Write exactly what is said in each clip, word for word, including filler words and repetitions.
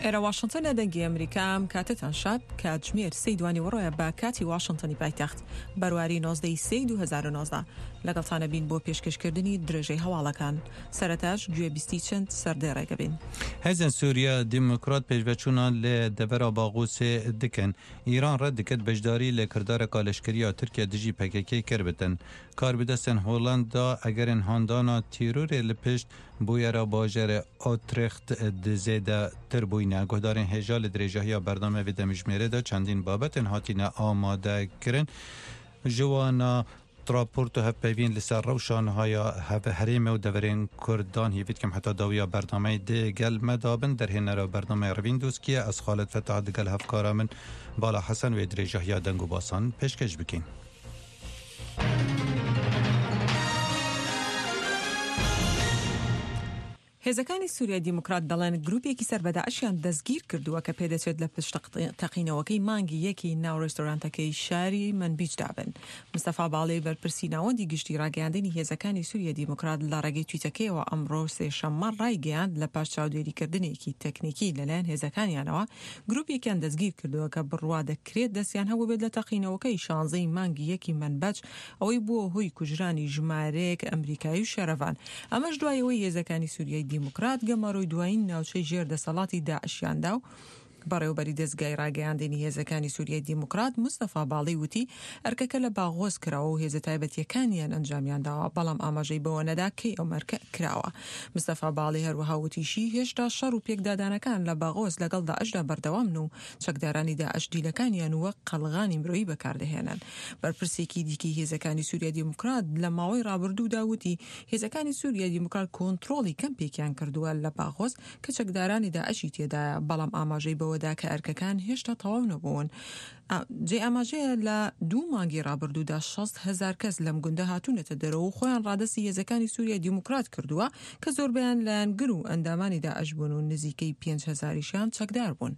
ئێرە واشنتۆنە دەنگی ئەمریکا ئەم کاتەتان شاد کاتژمێر سێی دوانیوەڕۆیە بە کاتی واشنتۆنی پایتەخت بەرواری نۆزدە ی سێی دوو هەزار و نۆزدە لەگەڵتانە بین بۆ پێشکەشکردنی درێژەی هەواڵەکان سەرەتاش گوێبیستی چەند سەردێڕێکە بین. هێزێن سووریا دیموکرات پێشڤەچوونا لە دەڤەرا باغوسێ دکەن. ئیران ڕەت دکەت بەشداری لە کردارەکا لەشکرییا تورکیا دژی پەکەکەی کربتن. کاربدەستێن هۆڵەندا ئەگەرێن هاندانا تیرۆرێ لە پشت بویەرا باژەرێ ئۆترێخت زێدەتر بووینە. گوهدارێن هێژا لە درێژاهیا بەرنامە ڤێ دەمژمێرێدا چەندین بابەتێن هاتینە ئامادەکردن ژوانا راپۆرت و هەڤپەیڤین لەسەر رەوشا نهایا هەرێمێ و دەڤەرێن کوردان هیڤی دکەم حەتا داویا بەرنامەی دێ گەل مە دابن دەرهێنەرا بەرنامەی رەڤین دۆسکیە ئەز خالد فەتاح دگەل هەڤکارا من بالا حەسەن وێ درێژاهیا دەنگ و باسان پێشکەش بکەین. هێزەکانی سووریای دیموکرات دەڵێن گروپێکی سەر بە داعشیان دەستگیر کردووە کە پێدەچێت لە پشت تەقینەوەکەی مانگی یەکی ناو ڕێستۆرانتەکەی شاری مەنبیجدا بن. مستەفا باڵی بەرپرسی ناوەندی گشتی ڕاگەیاندنی هێزەکانی سووریای دیموکرات لە ڕێگەی تویتەکەیەوە ئەمڕۆ سێشەممە ڕایگەیاند لە پاش چاودێریکردنێکی تەکنیکی لەلایەن هێزەکانیانەوە گروپێکیان دەستگیر کردووە کە بڕوا دەکرێت دەستیان هەبووبێت لە تەقینەوەکەی شانزەی مانگی یەکی مەنبەج ئەوەی بووە هۆی کوژرانی ژمارەیەک ئەمریکایی و شەرەڤان. ئەمەش دوای ئەوەی هێزەکانی سووریای دیموکرات گەمارۆی دوایین ناوچەی ژێر دەسەڵاتی داعشیاندا و بەڕێوبەری دەزگای ڕاگەیاندنی هێزەکانی سووریای دیموکرات مستەفا باڵی وتی ئەرکەکە لە باغۆز کراوە و هێزە تایبەتیەکانیان ئەنجامیان داوە، بەڵام ئاماژەی بەوە نەدا کەی ئەو ئەرکە کراوە. مستەفا باڵی هەروەها وتیشی هێشتا شەڕ و پێکدادانەکان لە باغۆز لەگەڵ داعشدا بەردەوامن و چەکدارانی داعش دیلەکانیان وەک قەڵغانی مرۆیی بەکاردەهێنن. بەرپرسێکی دیکەی هێزەکانی سووریای دیموکرات لە ماوەی ڕابردوودا وتی هێزەکانی سووریای دیموکرات کۆنترۆڵی کەمپێکیان کردووە لە باغۆز کە چەکدارانی داعشی تێدایە، بەڵام ئاماژەی بەوەدا کە ئەرکەکان هێشتا تەواو نەبوون. جێی ئاماژەیە لە دوو مانگی ڕابردوودا شەست هەزار کەس لەم گوندە هاتوونەتە دەرەوە و خۆیان ڕادەستی هێزەکانی سووریای دیموکرات کردووە کە زۆربەیان لایەنگر و ئەندامانی داعش بوون و نزیکەی پێنج هەزاریشیان چەکدار بوون.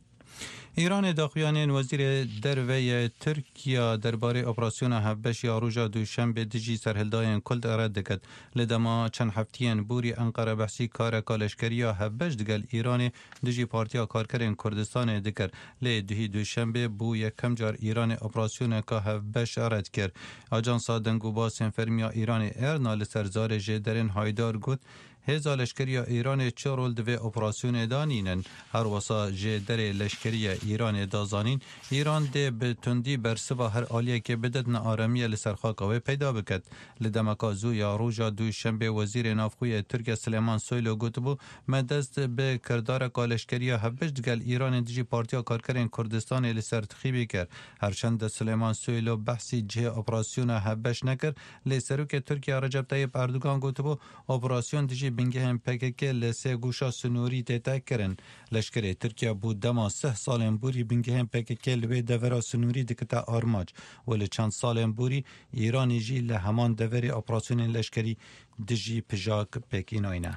ئیرانێ داخویانیێن وەزیرێ دەرڤەیێ تورکیا دەربارەی ئۆپراسیۆنا هەڤبەش یا ڕۆژا دووشەمبێ دژی سەرهەلدایێن کولد ڕەد دکەت. لە دەما چەند هەفتیێن بوری ئەنقەرە بەحسی کارەکا لەشکەرییا هەڤبەش دگەل ئیرانێ دژی پارتیا کارکەرێن کوردستانێ دکرد. لێ دوهی دووشەمبێ بوو یەکەم جار ئیرانێ ئۆپراسیۆنەکا هەڤبەش ڕەد کرد. ئاجانسا دەنگ و باسێن فەرمییا ئیرانێ ئێرنا لەسەر زارێ ژێدەرێن هایدار گوت هێزا لەشکرییا ئیرانێ چ ڕۆل دڤێ ئۆپراسیۆنێدا نینن. هەروەسا ژێدەرێ لەشکرییە ئیرانێ دازانین ئیران دێ بە توندی بەرسڤا هەر ئالیەکێ بدەت نەئارامیە لەسەر خاکا وێ پەیدا بکەت. لە دەمەکا زوو یا ڕۆژا دووشەمبێ وەزیرێ ناوخۆیێ تورکیا سلێمان سۆیلۆ گوتبوو مە دەست بە کردارەکا لەشکرییا هەڤبەش دگەل ئیرانێ دژی پارتیا کارکەرێن کوردستانێ لەسەر تخیبی کرد. هەرچەندە سلێمان سۆیلۆ بەحسی جهێ ئۆپراسیۆنا هەڤبەش نەکرد لێ سەرۆکێ تورکیا ڕەجەب تەیب ئەردۆگان گوتبوو ئۆپراسیۆن دژی بنگەهێن پەکەکە لە سێ گوشا سنووری تێتە کرن. لەشکرێ تورکیا بوو دەما سێ ساڵێن بوری بنگەهێن پەکەکە لەوێ دەڤەرا سنووری دکتە ئارماج و لە چەند ساڵێن بوری ئیرانیژی لە هەمان دەڤەرێ ئۆپراسیۆنێن لەشکری دژی پژاک پێکیناینە.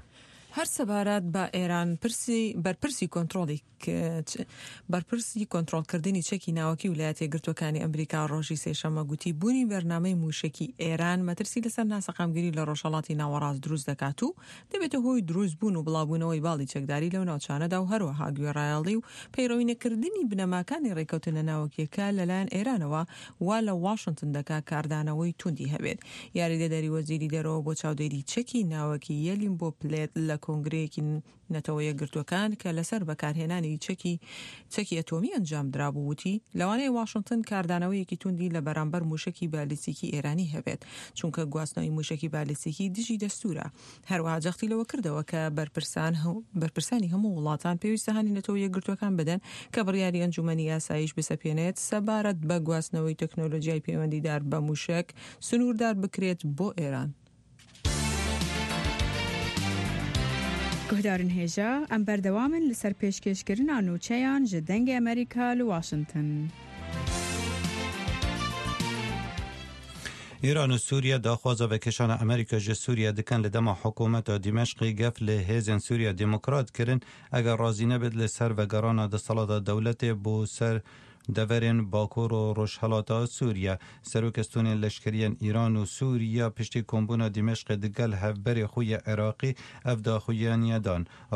هەر سەبارەت بە ئێران پرسی بەرپرسی کۆنترۆڵی بەرپرسی کۆنترۆڵکردنی چەکی ناوەکی ویلایەتە یەکگرتووەکانی ئەمریکا ڕۆژی سێشەممە گوتی بوونی بەرنامەی مووشەکی ئێران مەترسی لەسەر ناسەقامگیری لە ڕۆژهەڵاتی ناوەڕاست دروست دەکات و دەبێتە هۆی دروستبوون و بڵاوبوونەوەی باڵی چەکداری لەو ناوچانەدا و هەروەها گوێڕایەڵی و پەیڕەوی نەکردنی بنەماکانی ڕێککەوتنە ناوەکییەکە لەلایەن ئێرانەوە وا لە واشنتن دەکات کاردانەوەی توندی هەبێت. یاریدەدەری وەزیری دەرەوە بۆ چاودێری چەکی ناوەکی یەلیم بۆ پلێت لە کۆنگرەیەکی نەتەوە یەکگرتووەکان کە لەسەر بەکارهێنانی چەکی چەکی ئەتۆمی ئەنجامدرابوو وتی لەوانەیە واشنتن کاردانەوەیەکی توندی لە بەرامبەر موشەکی بالیستیکی ئێرانی هەبێت چونکە گواستنەوەی موشەکی بالیستیکی دژی دەستورە. هەروەها جەختی لەوە کردەوە کە بەرپرسان بەرپرسانی هەموو وڵاتان پێویستە هانی نەتەوە یەکگرتووەکان بدەن کە بڕیاری ئەنجومەنی ئاسایش بسەپێنێت سەبارەت بە گواستنەوەی تەکنۆلۆژیای پەیوەندیدار بە موشەک سنووردار بکرێت بۆ ئێران. گوهدارن هێژا ئەم بەردەوامن لەسەر پێشکێشکردنا نوچەیان ژ دەنگێ ئەمریکا لە واشنتن. ئیران و سووریا داخوازا ڤەکێشانا ئەمریکا ژ سووریا دکەن لە دەما حکوومەتا دیمەشقی گەف لە هێزێن سووریا دیموکرات کرن ئەگەر ڕازی نەبێت لەسەر ڤەگەڕانا دەسەڵاتا دەولەتێ بۆ سەر دەڤەرێن باکوور و ڕۆژهەڵاتا سووریا. سەرۆکێ ستوونێن لەشکریێن ئیران و سووریا پشتی کۆمبوونا دیمەشقێ دگەل هەڤبەرێ خوی عێراقی ئەڤ داخویانیە دان.